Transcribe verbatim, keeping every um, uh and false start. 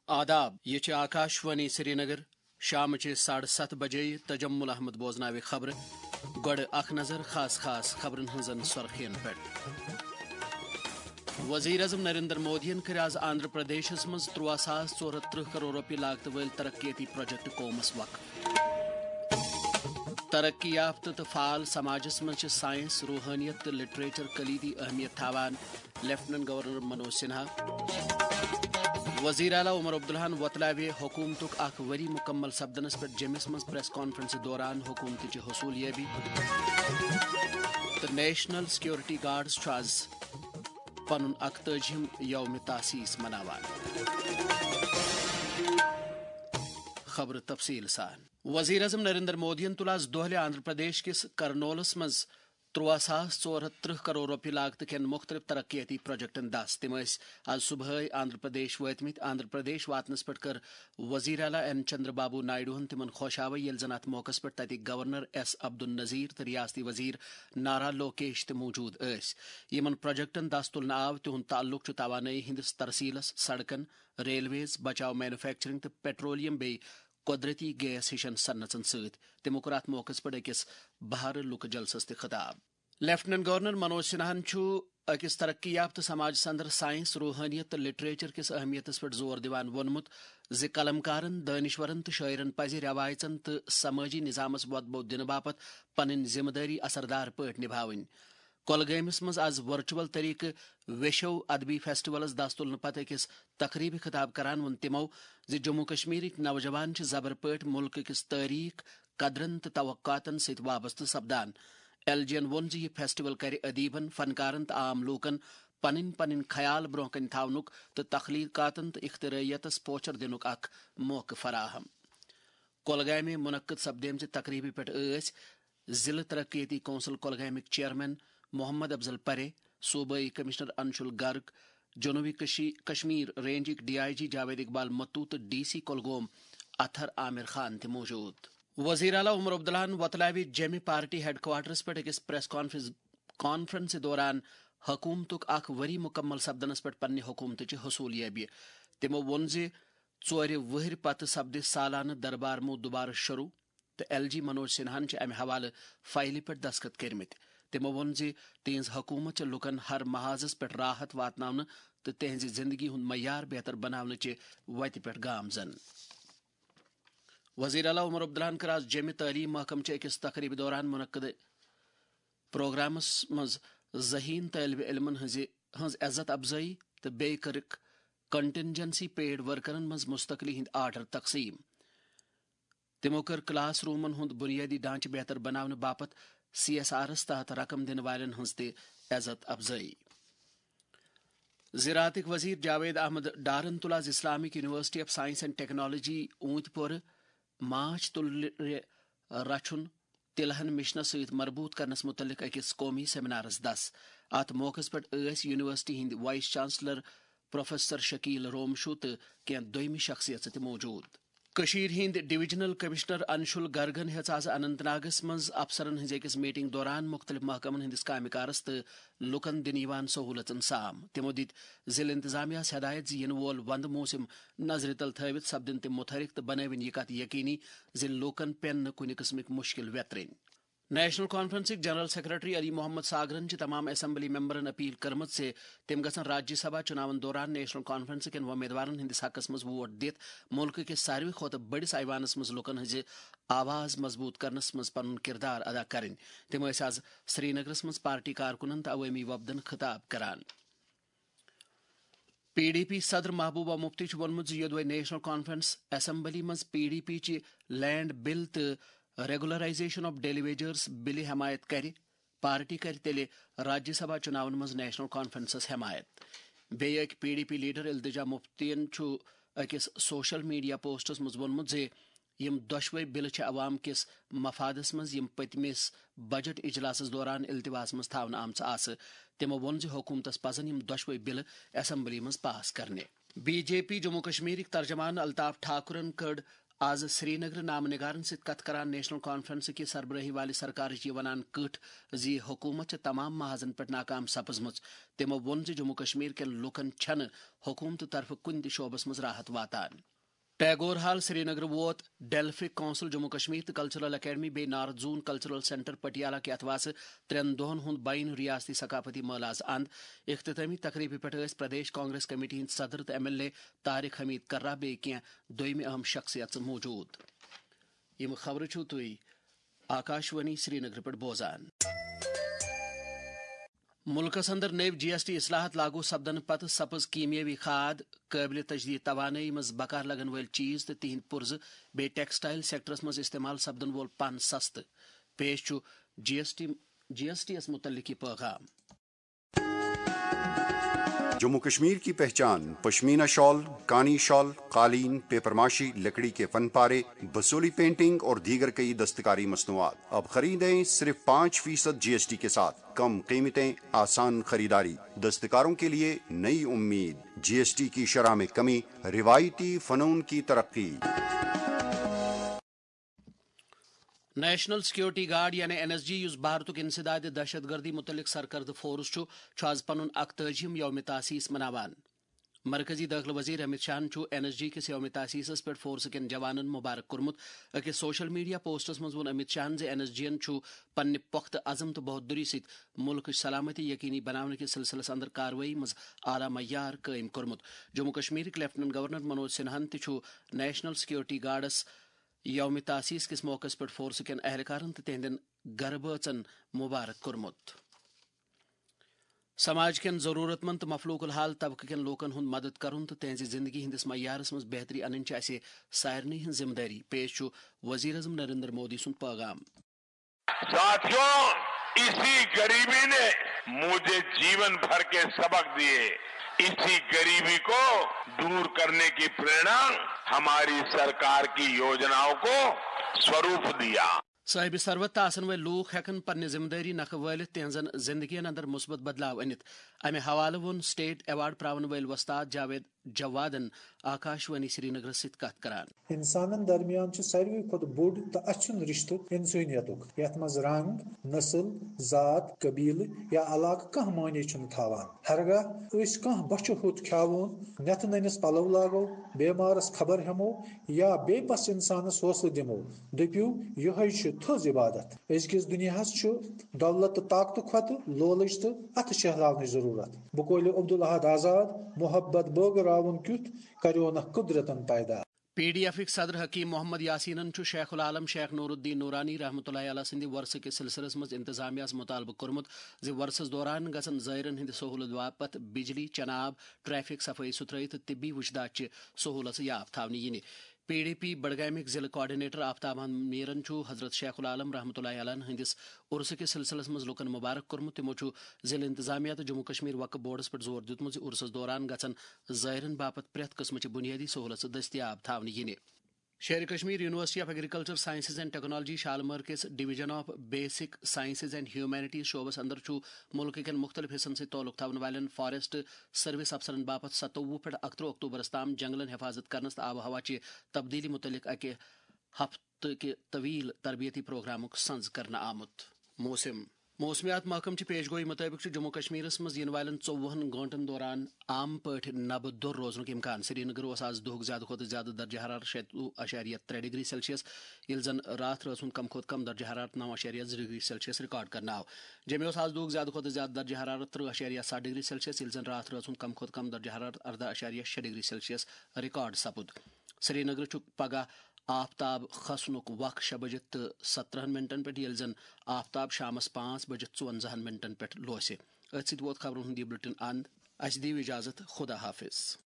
آداب، یہِ چھِ آکاش وانی سرینگر۔ شامچہِ ساڑٕ ستھ بجے تجمل احمد بوزناوِ خبرٕ۔ گۄڈٕ اکھ نظر خاص خاص خبرن ہٕنٛزن سرخین پٮ۪ٹھ۔ وزیر اعظم نریندر مودیَن کٔرۍ آز آندھرا پردیشس منٛز ترٛواہ ساس ژور ہتھ ترٕٛہ کرور رۄپیہِ لاگتہٕ وٲلۍ ترقیتی پروجیکٹ قومس وقف۔ ترقی یافتہٕ تہٕ فعال سماجس منٛز چھِ ساینس، روحٲنیت تہٕ لٹریچر کلیدی اہمیت تھاوان، لیفٹیننٹ گورنر منوج سنہا۔ وزیر اعلیٰ عمر عبداللہن وۄتلاوِ حکومتُک اکھ ؤری مکمل سپدنس پٮ۪ٹھ جیٚمِس منٛز پریس کانفرنسہِ دوران حکومتٕچہِ حصوٗل یٲبی۔ تہٕ نیشنل سیکورٹی گارڈز چھُ آز پنُن اکتٲجِہِم یوم تاسیس مناوان۔ خبرٕ تفصیل سان۔ وزیر اعظم نریندر مودیَن تُل آز دۄہلہِ آندھرا پردیش کِس کرنولس منٛز ترٛواہ ساس ژور ہتھ ترٕٛہ کرور رۄپیہِ لاگتہٕ کٮ۪ن مُختٔلِف ترقیٲتی پروجیکٹن دَس۔ تِم ٲسۍ آز صبحٲے آندھرا پردیش وٲتمٕتۍ۔ آندھرا پردیش واتنس پٮ۪ٹھ کٔر وزیر اعلیٰ این چندر بابو نائیڈوہن تِمن خۄش آوے، ییٚلہِ زن اتھ موقعس پٮ۪ٹھ تتِکۍ گورنر ایس عبدالنذیر تہٕ ریاستی وزیر نارا لوکیش تہِ موجود ٲسۍ۔ یِمن پروجیکٹن دَس تُلنہٕ آو، تِہُنٛد تعلق چھُ توانٲیی ہٕنٛدِس ترسیلس، سڑکن، ریلویز، بچاو مینوفیکچرنگ تہٕ پیٹرولیم بیٚیہِ قۄدرٔتی گیس ہِشن صنعژن سۭتۍ۔ تِمو کوٚر اَتھ موقعس پٮ۪ٹھ أکِس بہارٕ لُکہٕ جلسس تہِ خطاب۔ لیفٹیننٹ گورنر منوج سنہاہن چھُ أکِس ترقی یافتہٕ سماجس اندر ساینس، روحٲنیت تہٕ لٹریچر کِس اہمیتس پٮ۪ٹھ زور دِوان ووٚنمُت زِ قلمکارن، دٲنِشورن تہٕ شٲعرن پزِ رٮ۪وایژن تہٕ سمٲجی نظامس وۄتبو دِنہٕ باپتھ پنٕنۍ ذمہٕ دٲری اثردار پٲٹھۍ نبھاوٕنۍ۔ کۄلگٲمِس منٛز آز ورچوئل طریقہٕ ویشو ادبی فیسٹیولس دَس تُلنہٕ پتہٕ أکِس تقریبہِ خطاب کران ووٚن تِمو زِ جموں کشمیرٕکۍ نوجوان چھِ زبر پٲٹھۍ مُلکہٕ کِس تٲریخ، قدرن تہٕ توقعاتن سۭتۍ وابستہٕ سپدان۔ ایل جی ین ووٚن زِ یہِ فیسٹیول کرِ ادیبن، فنکارن تہٕ عام لوٗکن پنٕنۍ پنٕنۍ خیال برونٛہہ کنہِ تھاونُک تہٕ تخلیقاتن تہٕ اختراعیتس پوچھر دِنُک اکھ موقعہٕ فراہم۔ کۄلگامہِ منعقد سپدیمژِ تقریبہِ پٮ۪ٹھ ٲسۍ ضلع ترقیتی کونسل کۄلگامٕکۍ چیئرمین محمد افضل پرے، صوبٲئی کمشنر انشول گرگ، جنوبی کشی-، کشمیر رینجٕکۍ ڈی آئی جی جاوید اقبال متو تہٕ ڈی سی کۄلگوم اطہر عامر خان تہِ موجود۔ وزیر اعلیٰ عمر عبداللہن وۄتلاوِ جیٚمہِ پارٹی ہیڈ کوارٹرس پٮ۪ٹھ أکِس پریس کانفرنس، کانفرنسہِ دوران حکومتُک اکھ ؤری مکمل سپدنس پٮ۪ٹھ پننہِ حکومتٕچہِ حصوٗل یٲبی۔ تِمو ووٚن زِ ژورِ وٕہٕرۍ پتہٕ سپدِ سالانہٕ دربار مُو دوبارٕ شروع تہٕ ایل جی منوج سنہاہن چھِ امہِ حوالہٕ فایلہِ پٮ۪ٹھ دستخط کٔرمٕتۍ۔ تِمو ووٚن زِ تِہنٛز حکومت چھےٚ لوٗکن ہر محاذس پٮ۪ٹھ راحت واتناونہٕ تہٕ تِہنٛزِ زندگی ہُنٛد معیار بہتر بناونہٕ چہِ وتہِ پٮ۪ٹھ گامزن۔ وزیر اعلیٰ عمر عبداللہن کٔر آز جیٚمہِ تعلیٖم محکمہٕ چہِ أکِس تقریبہِ دوران منعقد پروگرامس منٛز ذہین طٲلبہِ علمن ہٕنٛزِ، ہٕنٛز عزت افزٲیی تہٕ بیٚیہِ کٔرٕکھ کنٹنجنسی پیڈ ورکرن منٛز مستقلی ہٕنٛدۍ آرڈر تقسیٖم۔ تِمو کٔر کلاس رومن ہُنٛد بُنیٲدی ڈھانچہٕ بہتر بناونہٕ باپتھ سی ایس آرس تحت رقم دِنہٕ والٮ۪ن ہٕنٛز تہِ عزت افزٲیی۔ زراعتٕکۍ وزیر جاوید احمد ڈارن تُل آز Islamic university of science and technology اوٗنتۍ پورٕ ماچھ تُلرِ رچھُن تلہن مشنس سۭتۍ مربوط کرنس متعلق أکِس قومی سیمینارس دس۔ اتھ موقعس پٮ۪ٹھ ٲسۍ یونیورسٹی ہٕنٛدۍ وائس چانسلر پروفیسر شکیل رومشو تہٕ کینٛہہ دوٚیمہِ شخصیژٕ تہِ موجود۔ کٔشیٖرِ ہٕنٛدۍ ڈویژنل کمشنر انشول گرگن ہیٚژ آز اننت ناگس منٛز افسرن ہٕنٛزِ أکِس میٹنگ دوران مُختٔلِف محکمن ہٕنٛدِس کامہِ کارس تہٕ لوٗکن دِنہٕ یِوان سہوٗلژن سام۔ تِمو دِتۍ ضلعہٕ انتظامیہس ہدایت زِ یِنہٕ وول وندٕ موسم نظرِ تل تھٲوِتھ سپدن تِم متحرک تہٕ بنٲوِن یہِ کتھ یقینی زِ لوٗکن پٮ۪ن نہٕ کُنہِ قٕسمٕکۍ مُشکل ویترٕنۍ۔ نیشنل کانفرنسٕکۍ جنرل سیکرٹری علی محمد ساگرن چھِ تمام اسمبلی ممبرن اپیل کٔرمٕژ زِ تِم گژھن راجیہ سبھا چُناون دوران نیشنل کانفرنس کٮ۪ن وۄمیدوارن ہٕنٛدِس حقس منٛز ووٹ دِتھ مُلکہٕ کِس ساروٕے کھۄتہٕ بٔڑِس ایوانس منٛز لوٗکن ہٕنٛزِ آواز مضبوٗط کرنس منٛز پنُن کردار ادا کرٕنۍ۔ تِم ٲسۍ آز سرینگرس منٛز پارٹی کارکُنن تہٕ عوٲمی وفدن خطاب کران۔ پی ڈی پی صدر محبوبہ مفتی چھُ ووٚنمُت زِ یوٚدوے نیشنل کانفرنس اسمبلی منٛز پی ڈی پی چہِ لینڈ بل تہٕ ریگولرائزیشن آف ڈیلی ویجرز بلہِ حمایت کرِ، پارٹی کرِ تیٚلہِ راجیہ سبھا چُناون منٛز نیشنل کانفرنسس حمایت۔ بیٚیہِ أکۍ پی ڈی پی لیڈر التجا مفتین چھُ أکِس سوشل میڈیا پوسٹس منٛز ووٚنمُت زِ یِم دۄشوے بلہٕ چھِ عوام کِس مفادس منٛز یِم پٔتمِس بجٹ اجلاسس دوران التواہس منٛز تھاونہٕ آمژٕ آسہٕ۔ تِمو ووٚن زِ حکوٗمتس پزن یِم دۄشوے بلہٕ اسمبلی منٛز پاس کرنہِ۔ بی جے پی جموں کشمیرٕکۍ ترجمان الطاف ٹھاکرن کٔڑ آز سرینگر نامہ نگارن سۭتۍ کتھ کران نیشنل کانفرنس کہِ سربرٲہی والہِ سرکارٕچ یہِ ونان کٔٹھ زِ حکومت چھِ تمام محاذن پٮ۪ٹھ ناکام سپٕزمٕژ۔ تِمو ووٚن زِ جموں کشمیر کٮ۪ن لوٗکن چھنہٕ حکومتہٕ طرفہٕ کُنہِ تہِ شعبس منٛز راحت واتان۔ ٹیگور ہال سرینگر ووت ڈیلفک کونسل جموں کشمیر تہٕ کلچرل اکیڈمی بیٚیہِ نارتھ زون کلچرل سینٹر پٹیالہ کہِ اتھواسہٕ ترٛٮ۪ن دۄہن ہُنٛد بین ریاستی ثقافتی مٲلہٕ آز اند۔ اختتامی تقریبہِ پٮ۪ٹھ ٲسۍ پردیش کانگریس کمیٹی ہٕنٛدۍ صدر تہٕ ایم ایل اے طارق حمید کرہ بیٚیہِ کینٛہہ دوٚیمہِ اہم شخصیژٕ موجود۔ یِم خبرٕ چھِو تُہۍ آکاشوانی سرینگر پٮ۪ٹھ بوزان۔ مُلکَس اندر نٔوۍ جی ایس ٹی اصلاحات لاگو سپدنہٕ پتہٕ سپٕز کیمیٲوی کھاد، قٲبلِ تجدید توانٲیی منٛز بکار لگن وٲلۍ چیز تہٕ تِہنٛدۍ پُرزٕ بیٚیہِ ٹیکسٹائل سیکٹرس منٛز استعمال سپدن وول پن سستہٕ۔ پیش چھُ جی ایس ٹی، جی ایس ٹی یَس مُتعلق یہِ پیغام۔ جموں کشمیر کی پہچان پشمینہ شال، کانی شال، قالین، پیپر ماشی، لکڑی کے فن پارے، بسولی پینٹنگ اور دیگر کئی دستکاری مصنوعات۔ اب خریدیں صرف پانچ فیصد جی ایس ٹی کے ساتھ۔ کم قیمتیں، آسان خریداری، دستکاروں کے لیے نئی امید۔ جی ایس ٹی کی شرح میں کمی، روایتی فنون کی ترقی۔ نیشنل سیکیورٹی گارڈ یعنی این ایس جی، یُس بھارتُک انسداد دہشت گردی متعلق سرکردٕ فورس چھُ، چھُ آز پنُن اکتٲجِہِم یوم تاسیس مناوان۔ مرکزی دٲخلہٕ وزیر امت شاہن چھُ این ایس جی کِس یوم تاسیسس پٮ۪ٹھ فورس کٮ۪ن جوانن مبارک کوٚرمُت۔ أکِس سوشل میڈیا پوسٹس منٛز ووٚن امت شاہن زِ این ایس جی ین چھُ پننہِ پۄختہٕ عزم تہٕ بہادری سۭتۍ مُلکٕچ سلامتی یقینی بناونہٕ کِس سلسلس اندر کاروٲیی منٛز اعلیٰ معیار قٲیِم کوٚرمُت۔ جموں کشمیرٕکۍ لیفٹیننٹ گورنر منوج سنہاہن تہِ چھُ نیشنل سیکیورٹی گارڈس یوم تاسیس کِس موقعس پٮ۪ٹھ فورسہٕ کٮ۪ن اہلکارن تہٕ تِہنٛدٮ۪ن گرٕ بٲژن مبارک کوٚرمُت۔ سماج کٮ۪ن ضروٗرت مند تہٕ مفلوق الحال طبقہٕ کٮ۪ن لوٗکن ہُنٛد مدد کرُن تہٕ تِہنٛزِ زندگی ہٕنٛدِس معیارس منٛز بہتری انٕنۍ چھِ اسہِ سارنٕے ہٕنٛز ذمہٕ دٲری۔ پیش چھُ وزیر اعظم نریندر مودی سُنٛد پیغام۔ ساتھیوں، اسی غریبی نے مجھے جیون بھر کے سبق دیے۔ اسی غریبی کو دور کرنے کی प्रेरणा हमारी सरकार की योजनाओं को स्वरूप दिया। صٲحبِ ثروت تہٕ آسن وٲلۍ لوٗکھ ہٮ۪کن پننہِ ذمہٕ دٲری نکھٕ وٲلِتھ تِہنٛزن زندگین اندر مثبت بدلاو أنِتھ۔ امہِ حوالہٕ ووٚن سٹیٹ ایوارڈ پراون وٲلۍ وۄستاد جاوید جوادن آکاشوانی سرینگرس سۭتۍ کتھ کران۔ انسانن درمیان چھُ ساروی کھۄتہٕ بوٚڑ تہٕ اَژھُن رشتہٕ انسٲنیتُک، یتھ منٛز رنگ، نسل، ذات، قبیلہٕ یا علاقہٕ کانٛہہ معنی چھُنہٕ تھاوان۔ ہرگاہ أسۍ کانٛہہ بۄچھِ ہوٚت کھیاوون، نٮ۪تہٕ نٔنِس پلو لاگو، بیمارس خبر ہٮ۪مو یا بے بس انسانس حوصلہٕ دِمو، دٔپِو، یِہوٚے چھُ تھٔز عبادت۔ أزکِس دُنیاہس چھُ دولت تہٕ طاقتہٕ کھۄتہٕ لولٕچ تہٕ اتھٕ شہلاونٕچ ضروٗرت۔ بقولِ عبدالاحد آزاد، محبت بٲگراوُن کیُتھ کریونکھ قدرتن پیدا۔ پی ڈی ایفٕکۍ صدر حکیم محمد یاسینن چھُ شیخ العالم شیخ نور الدین نورانی رحمتہ اللہ علیہ سٕنٛدِ وۄرثہٕ کِس سلسلس منٛز انتظامیہ ہَس مُطالبہٕ کوٚرمُت زِ وۄرثس دوران گژھن زٲیرن ہٕنٛدِ سہولت باپتھ بجلی، چنہٕ آب، ٹریفک، صفٲیی ستھرٲیی تہٕ طبی وُچھداچہِ سہولژٕ یاب تھاونہٕ یِنہِ۔ پی ڈی پی بڈگامٕکۍ ضلعہٕ کوآرڈینیٹر آفتاب احمد میرن چھُ حضرت شیخ العالم رحمتہ اللہ علیہ ہٕنٛدِس عرسہٕ کِس سلسلس منٛز لوٗکن مبارک کوٚرمُت۔ تِمو چھُ ضلعہٕ انتظامیہ تہٕ جموں کشمیر وقف بورڈس پٮ۪ٹھ زور دیُتمُت زِ عرسس دوران گژھن زٲیرن باپتھ پرٛٮ۪تھ قٕسمٕچہِ بُنیٲدی سہولژٕ دٔستیاب تھاونہٕ یِنہِ۔ Sher-e Kashmir university of agriculture sciences and technology Shalimar کِس division of basic sciences and humanities شعبس اندر چھُ مُلکہٕ کٮ۪ن مُختٔلِف حصن سۭتۍ تعلق تھاون والٮ۪ن فاریسٹ سروس افسرن باپتھ ستووُہ پٮ۪ٹھ اکترٕہ اکتوبرس تام جنگلن حفاظت کرنس تہٕ آب و ہوا چہِ تبدیلی متعلق اکہِ ہفتہٕ کہِ طویل تربیتی پروگرامُک سنز کرنہٕ آمُت۔ موسم۔ موسمیات محکمہٕ چہِ پیش گویی مُطٲبِق چھُ جموں کشمیرس منٛز یِنہٕ والٮ۪ن ژوٚوُہن گٲنٛٹن دوران عام پٲٹھۍ نبہٕ دوٚر روزنُک امکان۔ سرینگرٕ اوس آز دُہُک زیادٕ کھۄتہٕ زیادٕ درجہ حرارت شیٚتوُہ اَشاریہ ترٛےٚ ڈگری سیلسیس، ییٚلہِ زن راتھ رٲژ ہُنٛد کم کھۄتہٕ کم درجہ حرارت نَو اَشاریہ زٕ ڈگری سیلسیس ریکارڈ کرنہٕ آو۔ جیٚمہِ اوس آز دُہُک زیادٕ کھۄتہٕ زیادٕ درجہ حرارت ترٕٛہ اَشاریہ ستھ ڈگری سیلسیس، ییٚلہِ زن راتھ رٲژ ہُنٛد کم کھۄتہٕ کم درجہ حرارت ارداہ اَشاریہ شےٚ ڈگری سیلسیس ریکارڈ سپُد۔ سرینگرٕ چھُ پگہہ آفتاب کھسنُک وق شےٚ بجہِ تہٕ سترہن منٹن پٮ۪ٹھ، ییٚلہِ زن آفتاب شامس پانٛژھ بجہِ ژُوَنزاہن منٹن پٮ۪ٹھ لوسہِ۔ أتھۍ سۭتۍ ووت خبرن ہُنٛد یہِ بُلٹن اند۔ اسہِ دِیِو اجازت، خدا حافظ۔